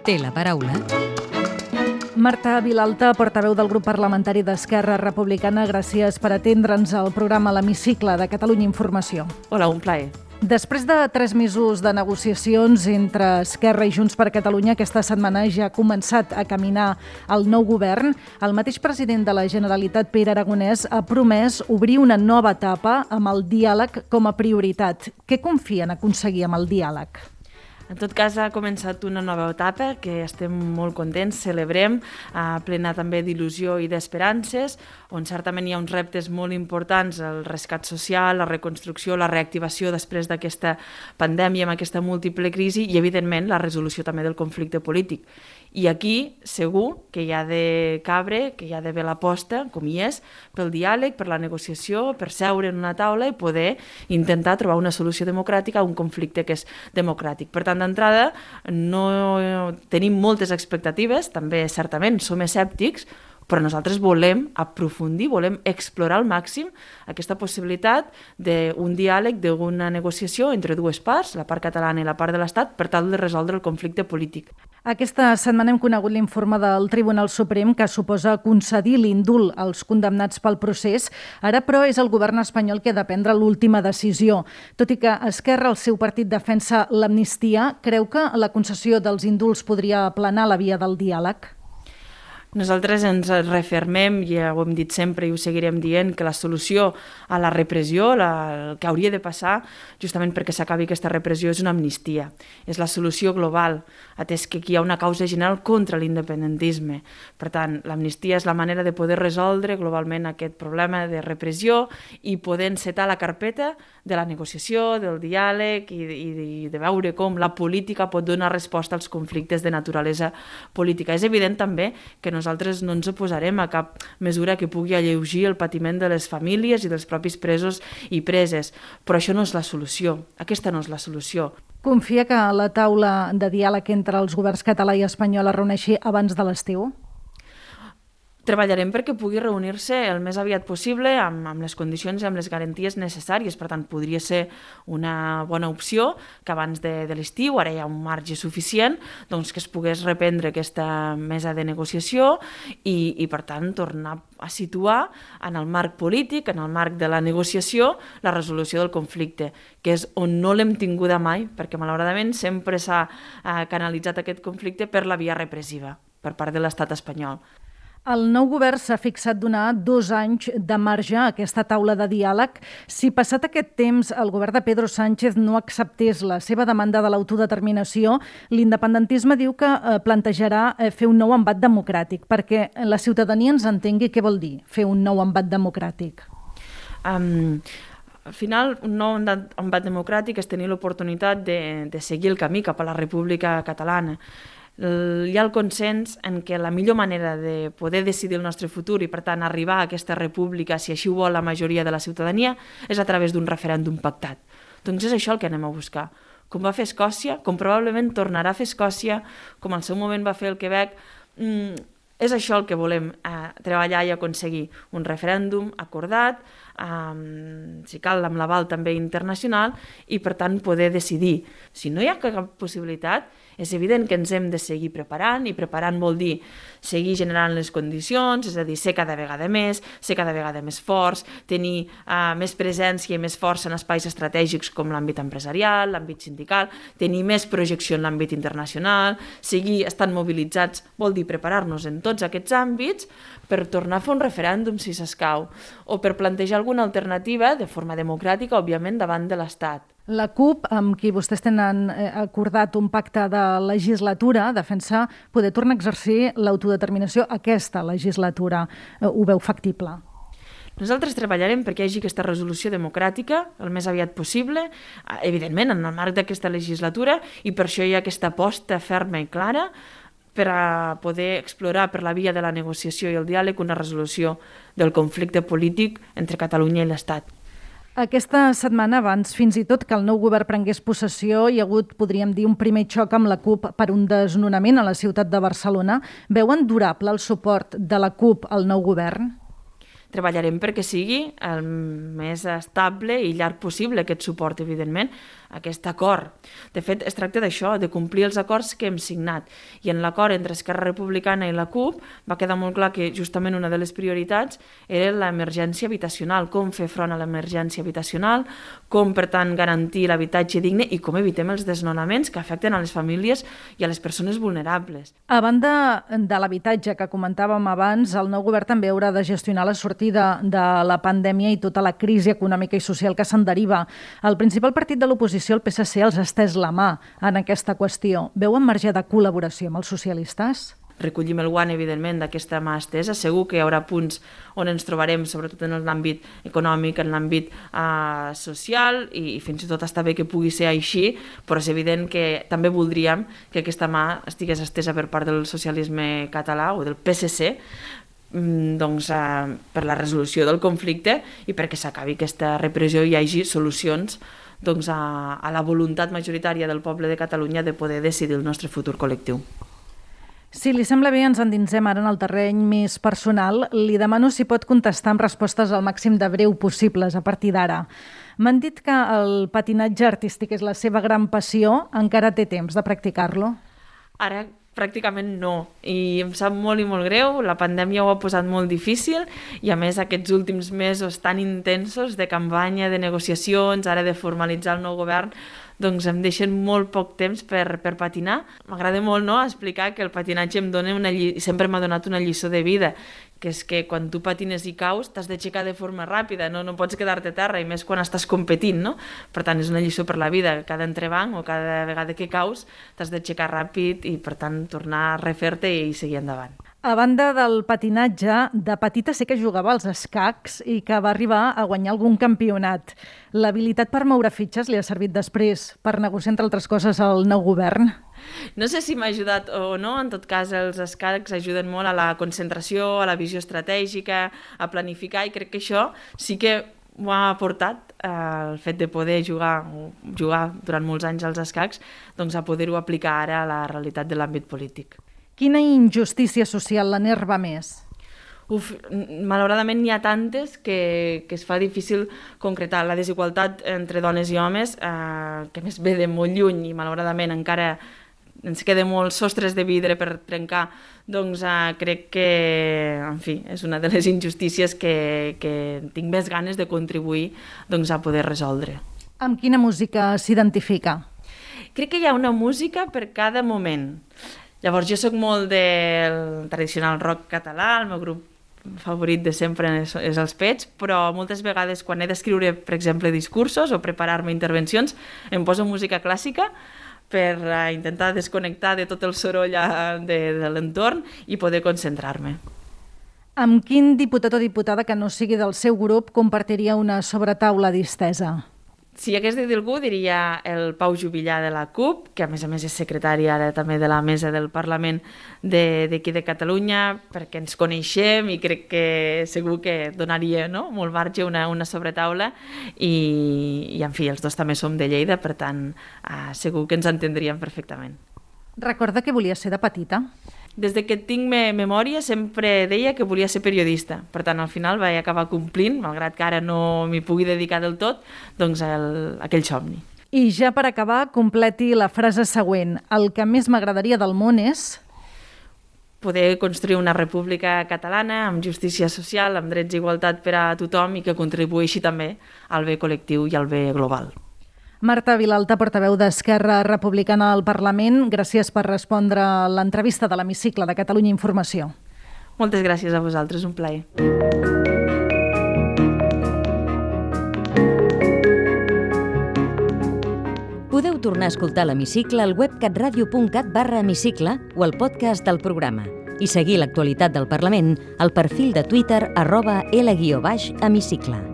Té la paraula Marta Vilalta, portaveu del grup parlamentari d'Esquerra Republicana, gràcies per atendre'ns al programa L'Hemicicle de Catalunya Informació. Hola, un plaer. Després de 3 mesos de negociacions entre Esquerra i Junts per Catalunya, aquesta setmana ja ha començat a caminar el nou govern. El mateix president de la Generalitat, Pere Aragonès, ha promès obrir una nova etapa amb el diàleg com a prioritat. Què confien aconseguir amb el diàleg? En tot cas, ha començat una nova etapa que estem molt contents, celebrem, plena també d'il·lusió i d'esperances, on certament hi ha uns reptes molt importants, el rescat social, la reconstrucció, la reactivació després d'aquesta pandèmia, amb aquesta múltiple crisi i, evidentment, la resolució també del conflicte polític. I aquí, segur que hi ha de cabre, que hi ha d'haver l'aposta, com hi és, pel diàleg, per la negociació, per seure en una taula i poder intentar trobar una solució democràtica a un conflicte que és democràtic. Per tant, d'entrada, no tenim moltes expectatives, també certament som escèptics, però nosaltres volem aprofundir, volem explorar al màxim aquesta possibilitat d'un diàleg, d'una negociació entre dues parts, la part catalana i la part de l'Estat, per tal de resoldre el conflicte polític. Aquesta setmana hem conegut l'informe del Tribunal Suprem que suposa concedir l'indult als condemnats pel procés. Ara, però, és el govern espanyol que ha de prendre l'última decisió. Tot i que Esquerra, el seu partit, defensa l'amnistia, creu que la concessió dels indults podria aplanar la via del diàleg? Nosaltres ens refermem, ja ho hem dit sempre i ho seguirem dient, que la solució a la repressió, el que hauria de passar, justament perquè s'acabi aquesta repressió, és una amnistia. És la solució global, atès que aquí hi ha una causa general contra l'independentisme. Per tant, l'amnistia és la manera de poder resoldre globalment aquest problema de repressió i poder encetar la carpeta de la negociació, del diàleg i de veure com la política pot donar resposta als conflictes de naturalesa política. És evident també que nosaltres no ens oposarem a cap mesura que pugui alleugir el patiment de les famílies i dels propis presos i preses, però això no és la solució, aquesta no és la solució. Confia que la taula de diàleg entre els governs català i espanyol es reuneixi abans de l'estiu? Treballarem perquè pugui reunir-se el més aviat possible amb les condicions i amb les garanties necessàries. Per tant, podria ser una bona opció que abans de l'estiu, ara hi ha un marge suficient, doncs que es pogués reprendre aquesta mesa de negociació i per tant, tornar a situar en el marc polític, en el marc de la negociació, la resolució del conflicte, que és on no l'hem tinguda mai, perquè malauradament sempre s'ha canalitzat aquest conflicte per la via repressiva, per part de l'estat espanyol. El nou govern s'ha fixat donar 2 anys de marge a aquesta taula de diàleg. Si passat aquest temps el govern de Pedro Sánchez no acceptés la seva demanda de l'autodeterminació, l'independentisme diu que plantejarà fer un nou embat democràtic, perquè la ciutadania ens entengui què vol dir fer un nou embat democràtic. Al final, un nou embat democràtic és tenir l'oportunitat de seguir el camí cap a la República Catalana. Hi ha el consens en què la millor manera de poder decidir el nostre futur i, per tant, arribar a aquesta república, si així ho vol la majoria de la ciutadania, és a través d'un referèndum pactat. Doncs és això el que anem a buscar. Com va fer Escòcia, com probablement tornarà a fer Escòcia, com al seu moment va fer el Quebec, és això el que volem treballar i aconseguir. Un referèndum acordat, si cal amb l'aval també internacional, i per tant poder decidir. Si no hi ha cap possibilitat, és evident que ens hem de seguir preparant, i preparant vol dir seguir generant les condicions, és a dir, ser cada vegada més forts, tenir més presència i més força en espais estratègics com l'àmbit empresarial, l'àmbit sindical, tenir més projecció en l'àmbit internacional, seguir estant mobilitzats, vol dir preparar-nos en tots aquests àmbits per tornar a fer un referèndum si s'escau, o per plantejar alguna alternativa de forma democràtica, òbviament, davant de l'Estat. La CUP, amb qui vostès tenen acordat un pacte de legislatura, defensa poder tornar a exercir l'autodeterminació aquesta legislatura. Ho veu factible? Nosaltres treballarem perquè hi hagi aquesta resolució democràtica el més aviat possible, evidentment en el marc d'aquesta legislatura, i per això hi ha aquesta aposta ferma i clara per a poder explorar per la via de la negociació i el diàleg una resolució del conflicte polític entre Catalunya i l'Estat. Aquesta setmana, abans fins i tot que el nou govern prengués possessió, hi ha hagut, podríem dir, un primer xoc amb la CUP per un desnonament a la ciutat de Barcelona. Veuen durable el suport de la CUP al nou govern? Treballarem perquè sigui el més estable i llarg possible aquest suport, evidentment. aquest acord. De fet, es tracta d'això, de complir els acords que hem signat. I en l'acord entre Esquerra Republicana i la CUP va quedar molt clar que justament una de les prioritats era l'emergència habitacional, com fer front a l'emergència habitacional, com, per tant, garantir l'habitatge digne i com evitem els desnonaments que afecten a les famílies i a les persones vulnerables. A banda de l'habitatge que comentàvem abans, el nou govern també haurà de gestionar la sortida de la pandèmia i tota la crisi econòmica i social que se'n deriva. El principal partit de l'oposició, el PSC, els ha estès la mà en aquesta qüestió. Veuen marge de col·laboració amb els socialistes? Recollim el guant, evidentment, d'aquesta mà estesa. Segur que hi haurà punts on ens trobarem, sobretot en l'àmbit econòmic, en l'àmbit social, i fins i tot està bé que pugui ser així, però és evident que també voldríem que aquesta mà estigués estesa per part del socialisme català o del PSC, doncs, per la resolució del conflicte i perquè s'acabi aquesta repressió i hi hagi solucions doncs, a la voluntat majoritària del poble de Catalunya de poder decidir el nostre futur col·lectiu. Si li sembla bé, ens endinsem ara en el terreny més personal. Li demano si pot contestar amb respostes al màxim de breu possibles a partir d'ara. M'han dit que el patinatge artístic és la seva gran passió. Encara té temps de practicar-lo? Ara pràcticament no, i em sap molt i molt greu, la pandèmia ho ha posat molt difícil i a més aquests últims mesos tan intensos de campanya, de negociacions, ara de formalitzar el nou govern, doncs em deixen molt poc temps per patinar. M'agrada molt, no?, explicar que el patinatge em dona sempre m'ha donat una lliçó de vida, que és que quan tu patines i caus t'has d'aixecar de forma ràpida, no pots quedar-te a terra, i més quan estàs competint, no? Per tant, és una lliçó per la vida. Cada entrebanc o cada vegada que caus t'has d'aixecar ràpid i, per tant, tornar a refer-te i seguir endavant. A banda del patinatge, de petita sé que jugava als escacs i que va arribar a guanyar algun campionat. L'habilitat per moure fitxes li ha servit després per negociar, entre altres coses, el nou govern? No sé si m'ha ajudat o no, en tot cas els escacs ajuden molt a la concentració, a la visió estratègica, a planificar, i crec que això sí que m'ho ha aportat el fet de poder jugar durant molts anys als escacs, doncs a poder-ho aplicar ara a la realitat de l'àmbit polític. Quina injustícia social l'enerva més? Malauradament n'hi ha tantes que es fa difícil concretar. La desigualtat entre dones i homes, que més ve de molt lluny i malauradament encara ens queden molts sostres de vidre per trencar, doncs crec que, en fi, és una de les injustícies que tinc més ganes de contribuir doncs, a poder resoldre. Amb quina música s'identifica? Crec que hi ha una música per cada moment. Llavors, jo sóc molt del tradicional rock català, el meu grup favorit de sempre és els Pets, però moltes vegades quan he d'escriure, per exemple, discursos o preparar-me intervencions, em poso música clàssica per intentar desconnectar de tot el soroll de l'entorn i poder concentrar-me. Amb quin diputat o diputada que no sigui del seu grup compartiria una sobretaula distesa? Si hagués de dir algú, diria el Pau Juvillà de la CUP, que a més és secretari ara també de la mesa del Parlament d'aquí de Catalunya, perquè ens coneixem i crec que segur que donaria molt marge una sobretaula i en fi, els dos també som de Lleida, per tant segur que ens entendríem perfectament. Recorda que volia ser de petita? Des que tinc memòria sempre deia que volia ser periodista, per tant al final vaig acabar complint, malgrat que ara no m'hi pugui dedicar del tot, doncs aquell somni. I ja per acabar, completi la frase següent. El que més m'agradaria del món és poder construir una república catalana amb justícia social, amb drets i igualtat per a tothom i que contribueixi també al bé col·lectiu i al bé global. Marta Vilalta, portaveu d'Esquerra Republicana al Parlament, gràcies per respondre a l'entrevista de l'Hemicicle de Catalunya Informació. Moltes gràcies a vosaltres, un plaer. Podeu tornar a escoltar l'Hemicicle al web catradio.cat/hemicicle o al podcast del programa i seguir l'actualitat del Parlament al perfil de Twitter @L_Hemicicle.